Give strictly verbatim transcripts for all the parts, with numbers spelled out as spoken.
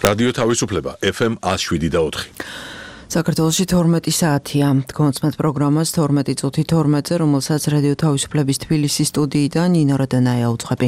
რადიო თავისუფლება ეფ ემ one oh seven და four. საქართველოში თორმეტი საათია. Გონცმეთ პროგრამას თორმეტი წუთი თორმეტზე, რომელსაც რადიო თავისუფლების თბილისის სტუდიიდან ნინო რადანაია უძღვები.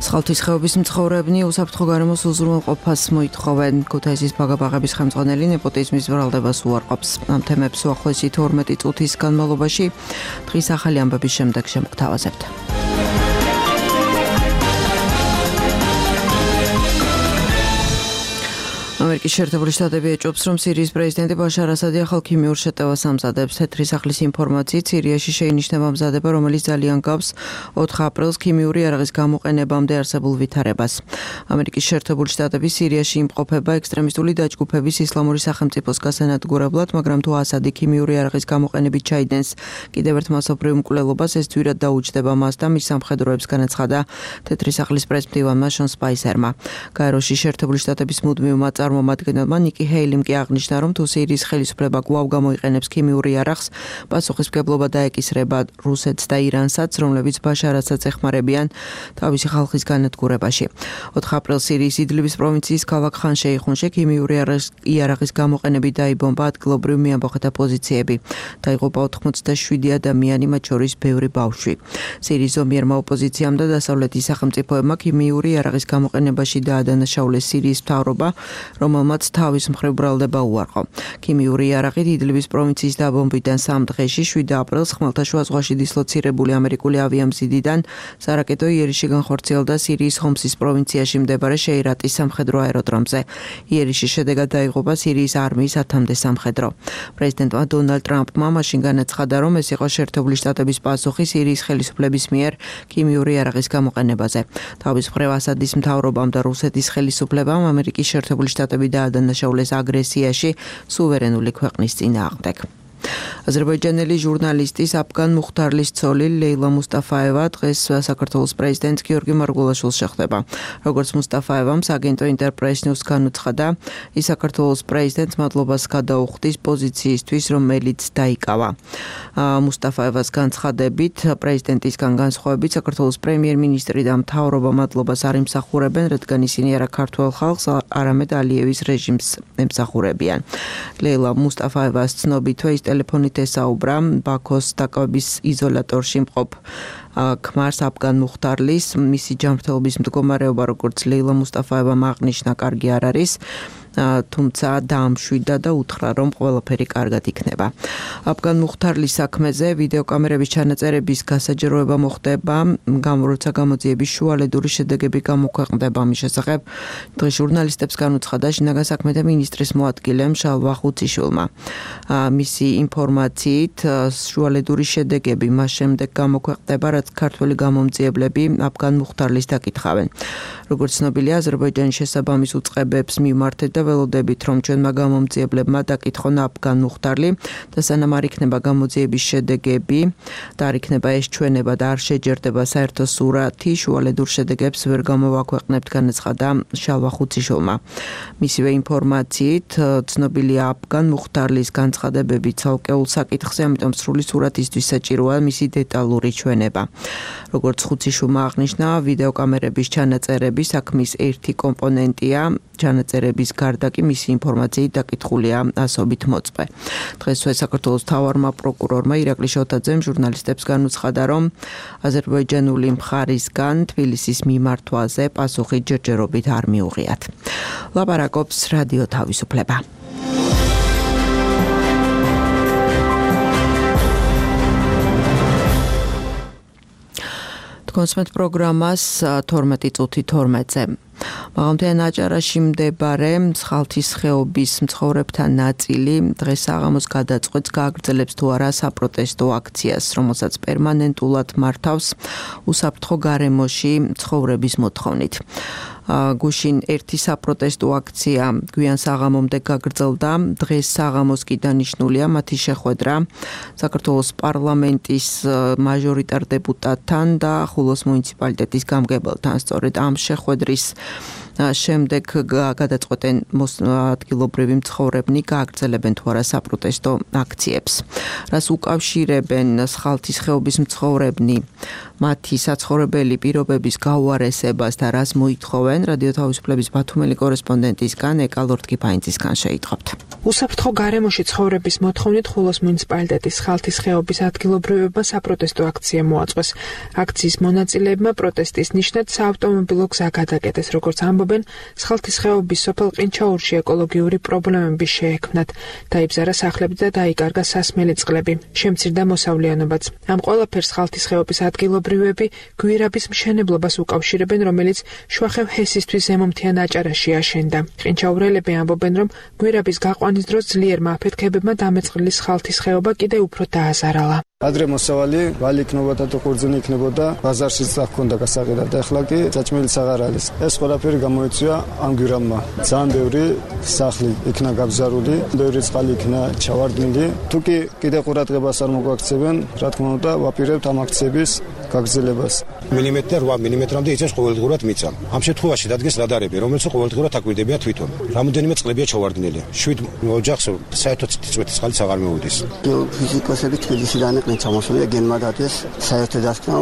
სხალთის ხეობის მცხოვრებნი უსაფრთხო გარემოს უზრუნველყოფას მოითხოვენ. ქუთაისის ბაგაბაღების ხელმძღვანელი ნეპოტიზმის ვრალდებას უარყოფს. ამ თემებს უახლოესი თორმეტი წუთის განმავლობაში დღის ახალი ამბების შემდეგ შემოგთავაზებთ. ამერიკის შეერთებული შტატები ეჭვობს, რომ სირიის პრეზიდენტი ბაშარ ასადი ახალ ქიმიურ შეტევას ამზადებს. თეთრი სახლის ინფორმაციით, სირიაში შეინიშნება მზადება, რომელიც ძალიან გავს ოთხ აპრილს ქიმიური იარაღის გამოყენებამდე არსებულ ვითარებას. ამერიკის შეერთებული შტატები სირიაში იმყოფება ექსტრემისტული დაჯგუფების ისლამური სახელმწიფოს გასანადგურებლად, მაგრამ თუ ასადი ქიმიური იარაღის გამოყენებით ჩაიდენს კიდევ ერთ მასობრივ მკვლელობას, ეს ძვირად დაუჯდება მას და მის სამხედროებს, განაცხადა თეთრი სახლის პრესმდივანმა შონ სპაისერმა. გაეროში შეერთებული შტატების მუდმივმა წარმომადგენელმა ნიკი ჰეილიმ კი აღნიშნა, რომ თუ სირიის ხელისუფლება კვლავ გამოიყენებს ქიმიური იარაღს, პასუხისმგებლობა დაეკისრება რუსეთს და ირანსაც, რომლებიც ბაშარ ასადს ეხმარებიან თავისი ხალხის განადგურებაში. ოთხ აპრილს სირიის იდლიბის პროვინციის ქალაქ ხან შეიხუნში ქიმიური იარაღის გამოყენებით დაიბომბა ადგილობრივ მეამბოხეთა პოზიციები. დაიღუპა ოთხმოცდაშვიდი ადამიანი, მათ შორის ბევრი ბავშვი. სირიის ზომიერმა ოპოზიციამ და დასავლეთის სახელმწიფოებმა ქიმიური იარაღის გამოყენებაში დაადანაშაულეს სირიის მთავრობა, რომელმაც თავის მხრივ ბრალდება უარყო. ქიმიური იარაღით იდლიბის პროვინციის დაბომბვიდან სამ დღეში შვიდ აპრილს ხმელთაშუა ზღვაში დისლოცირებული ამერიკული ავიამზიდიდან სარაკეტო იერიში განხორციელდა სირიის ჰომსის პროვინციაში მდებარე შეირატის სამხედრო აეროდრომზე. იერიშის შედეგად დაიღუპა სირიის არმიის ათამდე სამხედრო. პრეზიდენტმა დონალდ ტრამპმა მაშინ განაცხადა, რომ ეს იყო შეერთებული შტატების პასუხი სირიის ხელისუფლების მიერ ქიმიური იარაღის გამოყენებაზე. თავის მხრივ ასადის მთავრობამ და რუსეთის ხელისუფლებამ ამერიკის შეერთებული შტატები დაადანაშაულეს აგრესიაში სუვერენული ქვეყნის წინააღმდეგ. აზერბაიჯანელი ჟურნალისტის აფგან მუხთარლის ცოლი ლეილა მუსტაფაევა დღეს საქართველოს პრეზიდენტ გიორგი მარგველაშვილს შეხვდება. როგორც მუსტაფაევამ საგენტო ინტერპრეს ნიუს განუცხადა, ის საქართველოს პრეზიდენტს მადლობას გადაუხდის პოზიციისთვის, რომელიც დაიკავა. მუსტაფაევას განცხადებით, პრეზიდენტისგან განსხვავებით საქართველოს პრემიერ-მინისტრი და მთავრობა მადლობას არ იმსახურებენ, რადგან ისინი არა ქართველ ხალხს, არამედ ალიევის რეჟიმს ემსახურებიან. ლეილა მუსტაფაევას ცნობითვე ის ტელეფონით ესაუბრა ბაქოს დაკვების იზოლატორში მყოფ ქმარს აფგან მუხთარლის. მისი ჯანმრთელობის მდგომარეობა, როგორც ლეილა მუსტაფაევამ აღნიშნა, კარგი არ არის, თუმცა დაამშვიდა და უთხრა, რომ ყველაფერი კარგად იქნება. აფგან მუხთარლის საქმეზე ვიდეოკამერების ჩანაწერების გასაჯეროება მოხდება, როცა გამოძიების შუალედური შედეგები გამოქვეყნდება. ამის შესახებ დღეს ჟურნალისტებს განუცხადა შინაგან საქმეთა მინისტრის მოადგილემ შალვა ხუციშვილმა. მისი ინფორმაციით, შუალედური შედეგები მას შემდეგ გამოქვეყნდება, რაც ქართველი გამომძიებლები აფგან მუხთარლის დაკითხავენ. როგორც ცნობილია, აზერბაიჯანის შესაბამის უწყებებს მიმართეთ და ველოდებით, რომ ჩვენმა გამომძიებლებმა დაკითხონ აფგან მუხთარლი და სანამ არ იქნება გამოძიების შედეგები და არ იქნება ეს ჩვენება და არ შეჯერდება საერთო სურათი, შუალედურ შედეგებს ვერ გამოვაქვეყნებთ, განაცხადა შალვა ხუციშვილმა. მისივე ინფორმაციით, ცნობილია აფგან მუხთარლის განცხადებები ცალკეულ საკითხზე, ამიტომ სრული სურათისთვის საჭიროა მისი დეტალური ჩვენება. როგორც ხუციშვილმა აღნიშნა, ვიდეოკამერების ჩანაწერები საქმის ერთი კომპონენტია, ჩანაწერების გარდა კი მისი ინფორმაციით დაკითხულია ასობით მოწვე. დღესვე საქართველოს მთავარმა პროკურორმა ირაკლი შოთაძემ ჟურნალისტებს განუცხადა, რომ აზერბაიჯანული მხარისგან თბილისის მიმართვაზე პასუხი ჯერჯერობით არ მიუღიათ. ლაპარაკობს რადიო თავისუფლება. გონცმეთ პროგრამას თორმეტი წუთი თორმეტზე. მაღალმთიან აჭარაში მდებარე სხალთის ხეობის მცხოვრებთა ნაწილი დღეს საღამოს გადაწყვეტს გააგრძელებს თუ არა საპროტესტო აქციას, რომელსაც პერმანენტულად მართავს უსაფრთხო გარემოში ცხოვრების მოთხოვნით. გუშინ ერთი საპროტესტო აქცია გვიან საღამომდე გაგრძელდა. დღეს საღამოს კი დანიშნულია მათი შეხვედრა საქართველოს პარლამენტის მაჟორიტარ დეპუტატთან და ხულოს მუნიციპალიტეტის გამგებელთან. სწორედ ამ შეხვედრის შემდეგ გადაწყვეტენ ადგილობრივი მცხოვრებნი გააგრძელებენ თუ არა საპროტესტო აქციებს. რას უკავშირებენ სხალთის ხეობის მცხოვრებნი მათი საცხოვრებელი პირობების გაუარესებას და რას მოითხოვენ რადიო თავისუფლების ბათუმელი კორესპონდენტისგან ეკა ლორთქიფანიძისგან შეიტყობთ. უსაფრთხო გარემოში ცხოვრების მოთხოვნით ხულოს მუნიციპალიტეტის სხალთის ხეობის ადგილობრივებმა საპროტესტო აქცია მოაწყვეს. აქციის მონაწილეებმა პროტესტის ნიშნად საავტომობილო გზა გადაკეტეს, როგორც ამბობენ, სხალთის ხეობის სოფელ ყინჩაურში ეკოლოგიური პრობლემები შეექმნათ. დაიბზარა სახლები და დაიკარგა სასმელი წყლები. შემცირდა მოსავლიანობაც. ამ ყველაფერს სხალთის ხეობის ადგილობრივები გვირაბის მშენებლობას უკავშირებენ, რომელიც შუახევ ჰესისთვის ზემომთიან აჭარაში აშენდა. ყინჩაურელები ამბობენ, რომ გვირაბის გაყვანის დროს ძლიერმა აფეთქებებმა დამეწყრილი სხალთის ხეობა კიდევ უფრო დააზარალა. ადრე მოსავალი ვალი იქნებოდა და ყურძენი იქნებოდა, ბაზარშიც აღქონდა გასაყიდად და ახლა კი საჭმელიც აღარ არის. ეს ყველაფერი გამოიწვია ამ გვირაბმა. ძალიან ბევრი სახლი იქნა გაბზარული, ბევრი წყალი იქნა ჩავარდნილი. თუ კი კიდევ ყურადღებას არ მოგვაქცევენ, რა თქმა უნდა, ვაპირებთ ამ აქციების გაგრძელებას. მილიმეტრ და რვა მილიმეტრამდე იწევს ყოველდღურად მიწა. ამ შემთხვევაში დადგეს რადარები, რომელიც ყოველდღურად აკვირდებია თვითონ. რამოდენიმე წყლებია ჩავარდნილი. შვიდ ოჯახს საერთოდ წვეთის წყალიც აღარ მოვიდეს. ფიზიკოსები თბილისიდან იყვნენ ჩამოსული, გენმა დადეს საერთო დასკვნა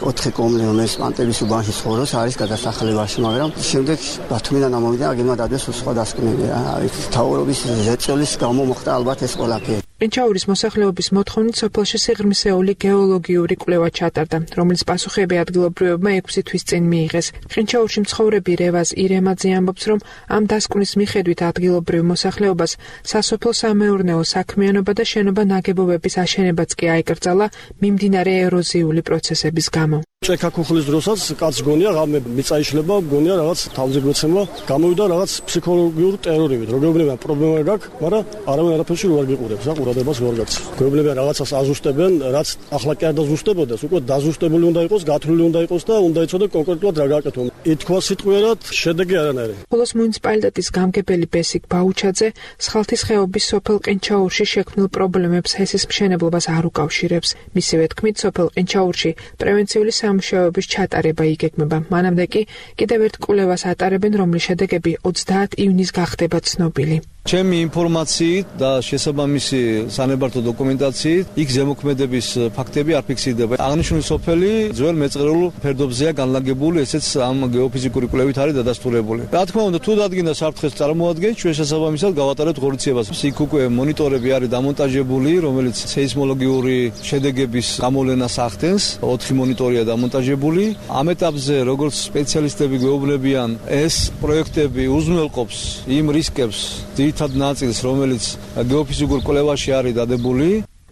ოთხი კომლი, რომელიც პანტების უბანში ცხოვრობს, არის გადასახლებაში, მაგრამ შემდეგ ბათუმიდან ამოვიდა, გენმა დადეს სხვა დასკვნები. არის თავრობის ზეწოლის გამო მოხდა ალბათ ეს ყველაფერი. ყინჩაურის მოსახლეობის მოთხოვნით სოფელში სიღრმისეული გეოლოგიური კვლევა ჩატარდა, რომელიც პასუხები ადგილობრივებმა ექვსი თვის წინ მიიღეს. ყინჩაურში მცხოვრები რევაზ ირემაძე ამბობს, რომ ამ დასკვნის მიხედვით ადგილობრივ მოსახლეობას სასოფლო-სამეურნეო საქმიანობა და შენობა ნაგებობების აშენებაც კი აიკრძალა მიმდინარე ეროზიული პროცესების გამო. ჭექა ქუხლის დროსაც კაც გონია ღამე მიწა იშლება, გონია რაღაც თავზე გვეცემა, გამოვიდა რაღაც ფსიქოლოგიურ ტერორივით. როგორებნებიან პრობლემა გაქვს, მაგრამ არავინ არაფერში რო არ გიყურებს, რა ყურადღებას რო არ გაქცევს. გვეუბნებიან რაღაცას აზუსტებენ, რაც ახლა კი არ დაზუსტებოდეს, უკვე დაზუსტებული უნდა იყოს, გათვლილი უნდა იყოს და უნდა იცოდე კონკრეტულად რა გააკეთო. ითქვა სიტყვიერად, შედეგი არანაირი. ხულოს მუნიციპალიტეტის გამგებელი ბესიკ ბაუჩაძე სხალთის ხეობის სოფელ ყინჩაურში შექმნილ პრობლემებს ჰესის მშენებლობას არ უკავშირებს. მისივე თქმით, სოფელ ყინჩაურში პრევენციული სამუშაოების ჩატარება იგეგმება. მანამდე კი კიდევ ერთ კვლევას ატარებენ, რომლის შედეგები ოცდაათი ივნის გახდება ცნობილი. ჩემი ინფორმაციით და შესაბამისი სანებართო დოკუმენტაციით იქ ზემოქმედების ფაქტები არ ფიქსირდება. აღნიშნული სოფელი ძველ მეწყრულ ფერდობზეა განლაგებული, ესეც ამ გეოფიზიკური კვლევით არის დადასტურებული. რა თქმა უნდა, თუ დადგინდა საფრთხეს წარმოადგენს, ჩვენ შესაბამისად გავატარებთ ღონისძიებას. იქ უკვე მონიტორები არის დამონტაჟებული, რომელიც სეისმოლოგიური შედეგების გამოვლენას ახდენს. ოთხი მონიტორია დამონტაჟებული. ამ ეტაპზე, როგორც სპეციალისტები გვეუბნებიან, ეს პროექტები უზრუნველყოფს იმ რისკებს, ძირითად ნაწილს, რომელიც გეოფიზიკურ კვლევაში არის დადებული.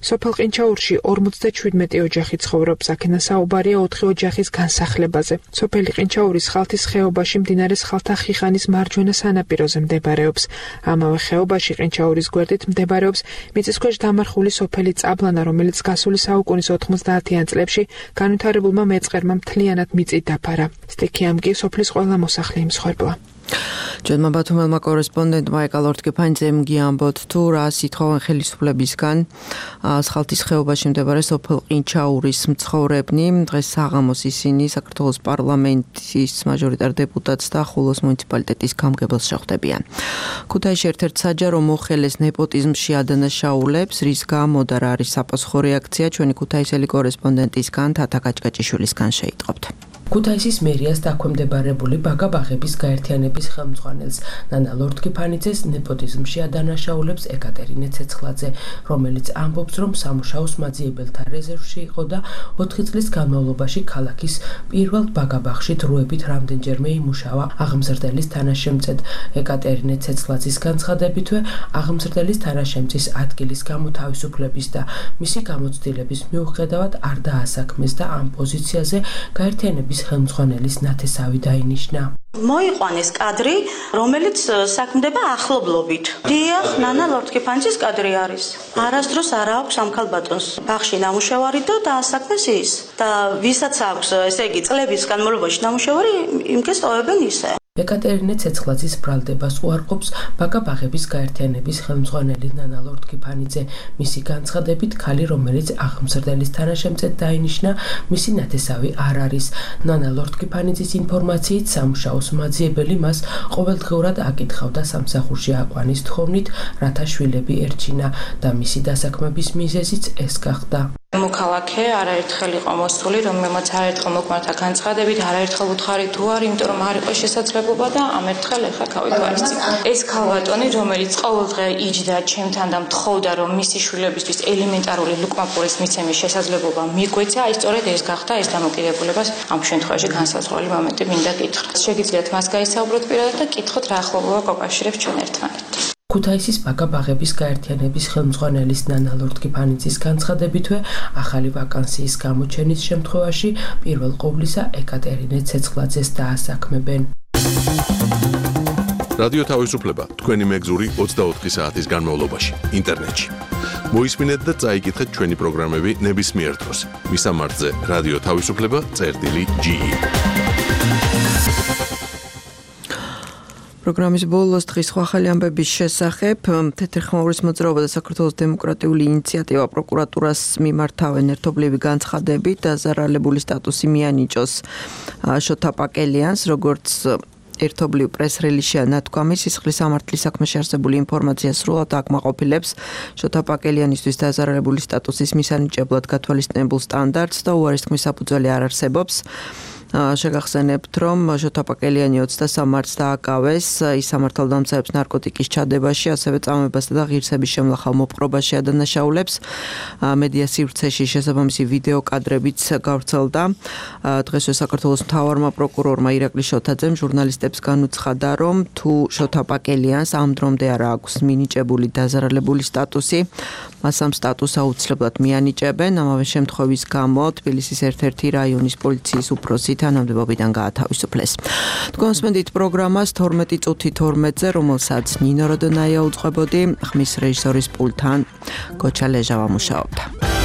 სოფელ ყინჩაურში ორმოცდაშვიდმეტი ოჯახი ცხოვრობს, აქედან საუბარია ოთხი ოჯახის განსახლებაზე. სოფელი ყინჩაურის სხალთის ხეობაში მდინარე სხალთა ხიხანის მარჯვენა სანაპიროზე მდებარეობს. ამავე ხეობაში ყინჩაურის გვერდით მდებარეობს მიწისქვეშ დამარხული სოფელი წაბლანა, რომელიც გასული საუკუნის ოთხმოცდაათიან წლებში განვითარებულმა მეწყერმა მთლიანად მიწით დაფარა. სტიქიამ კი სოფლის ყველა მოსახლე იმსხვერპლა. ჩვენმა ბათუმელმა კორესპონდენტმა ეკა ლორთქიფანიძემ გიამბოთ თუ რას ითხოვენ ხელისუფლებისგან სხალთის ხეობაში მდებარე სოფელ ყინჩაურის მცხოვრებნი. დღეს საღამოს ისინი საქართველოს პარლამენტის მაჟორიტარ დეპუტატს და ხულოს მუნიციპალიტეტის გამგებელს შეხვდებიან. ქუთაისში ერთ-ერთ საჯარო მოხელეს ნეპოტიზმში ადანაშაულებს, რის გამო და რა არის საპასუხო რეაქცია, ჩვენი ქუთაისელი კორესპონდენტისგან თათა გაჭკაჭიშვილისგან შეიტყობთ. ქუთაისის მერიას დაქვემდებარებული ბაგა-ბაღების გაერთიანების ხელმძღვანელს ნანა ლორთქიფანიძეს ნეპოტიზმში ადანაშაულებს ეკატერინე ცეცხლაძე, რომელიც ამბობს, რომ სამუშაოს მაძიებელთა რეზერვში იყო და ოთხი წლის განმავლობაში ქალაქის პირველ ბაგა-ბაღში დროებით რამდენჯერმე იმუშავა აღმზრდელის თანაშემწედ. ეკატერინე ცეცხლაძის განცხადებითვე აღმზრდელის თანაშემწის ადგილის გამოთავისუფლების და მისი გამოცდილების მიუხედავად არ დაასაქმეს და ამ პოზიციაზე გაერთიანების ხელმძღვანელის ნათესავი დაინიშნა. მოიყვანეს კადრი, რომელიც საქმდება ახლობლობით. დიახ, ნანა ლორთქიფანიძის კადრი არის. არასდროს არ აქვს ამ ქალბატონს ბაღში ნამუშევარი და დაასაქმეს ის. და ვისაც აქვს, ესე იგი, წლების განმავლობაში ნამუშევარი, იმკეს ტოვებენ ისე. ეკატერინე ცეცხლაძის ბრალდებას უარყოფს ბაკა-ბაღების გაერთიანების ხელმძღვანელი ნანა ლორთქიფანიძე. მისი განცხადებით, ქალი, რომელიც აღმზრდელის თანაშემწედ დაინიშნა, მისი ნათესავი არ არის. ნანა ლორთქიფანიძის ინფორმაციით, სამუშაოს მაძიებელი მას ყოველდღიურად აკითხავდა სამსახურში აყვანის თხოვნით, რათა შვილები ერჩინა და მისი დასაქმების მიზეზიც ეს გახდა. მოქალაქე არაერთხელ იყო მოსული, რომელმაც არაერთხელ მოგვართა განცხადებით, არაერთხელ უთხარი თუ არ, იმიტომ რომ არ იყო შესაძლებლობა და ამ ერთხელ ახლა გავითვალისწინე. ეს ქალბატონი, რომელიც ყოველდღე იჯდა ჩემთან და მთხოვდა, რომ მისი შვილებისთვის ელემენტარული ლუკმაპურის მიცემის შესაძლებლობა მიგვეცა, აი სწორედ ეს გახდა ეს დამოკიდებულებას ამ შემთხვევაში განსაზღვრელი მომენტი მინდა გითხრათ. შეგიძლიათ მას გაისაუბროთ პირადად და კითხოთ რა ახლობლობა გვაკავშირებს ჩვენ ერთმანეთთან. ქუთაისის ბაკა-ბაღების გაერთიანების ხელმძღვანელის ნანა ლორთქიფანიძის განცხადებითვე, ახალი ვაკანსიის გამოჩენის შემთხვევაში პირველ ყოვლისა ეკატერინე ცეცხლაძეს დაასაქმებენ. რადიო თავისუფლება თქვენი მეგზური ოცდაოთხი საათის განმავლობაში ინტერნეტში. მოისმინეთ და წაიკითხეთ ჩვენი პროგრამები ნებისმიერ დროს. მისამართზე რადიო თავისუფლება წერტილი ჯი ი. პროგრამის ბოლოს დღის სხვა ახალი ამბების შესახებ თეთრხმაურის მოძრაობა და საქართველოს დემოკრატიული ინიციატივა პროკურატურას მიმართავენ ერთობლივი განცხადებით დაზარალებული სტატუსი მიანიჭოს შოთა პაკელიანს, როგორც ერთობლივ პრეს-რელიზში ნათქვამი, სისხლის სამართლის საქმეში არსებული ინფორმაცია სრულად აკმაყოფილებს შოთა პაკელიანისთვის დაზარალებული სტატუსის მისანიჭებლად გათვალისწინებულ სტანდარტს და უარის თქმის საფუძველი არ არსებობს. შეგახსენებთ, რომ შოთა პაკელიანი ოცდასამ მარტს დააკავეს ის სამართალდამცავებს ნარკოტიკის ჩადებაში, ასევე წამებასა და ღირსების შემლახავ მოპყრობაში ადანაშაულებს. მედია სივრცეში შესაბამისი ვიდეო კადრებიც გავრცელდა. დღესვე საქართველოს მთავარმა პროკურორმა ირაკლი შოთაძემ ჟურნალისტებს განუცხადა, რომ თუ შოთა პაკელიანს ამ დრომდე არ აქვს მინიჭებული დაზარალებული სტატუსი, მას ამ სტატუსს აუცილებლად მიანიჭებენ. ამავე შემთხვევის გამო თბილისის ერთ-ერთი რაიონის პოლიციის უფროსი თანამდებობიდან გაათავისუფლეს. თქვენსმენდით პროგრამას თორმეტი წუთი თორმეტზე, რომელსაც ნინო როდონაია უძღვებოდი, ხმის რეჟისორის პულტთან გოჩა ლეჟავა მუშაობდა.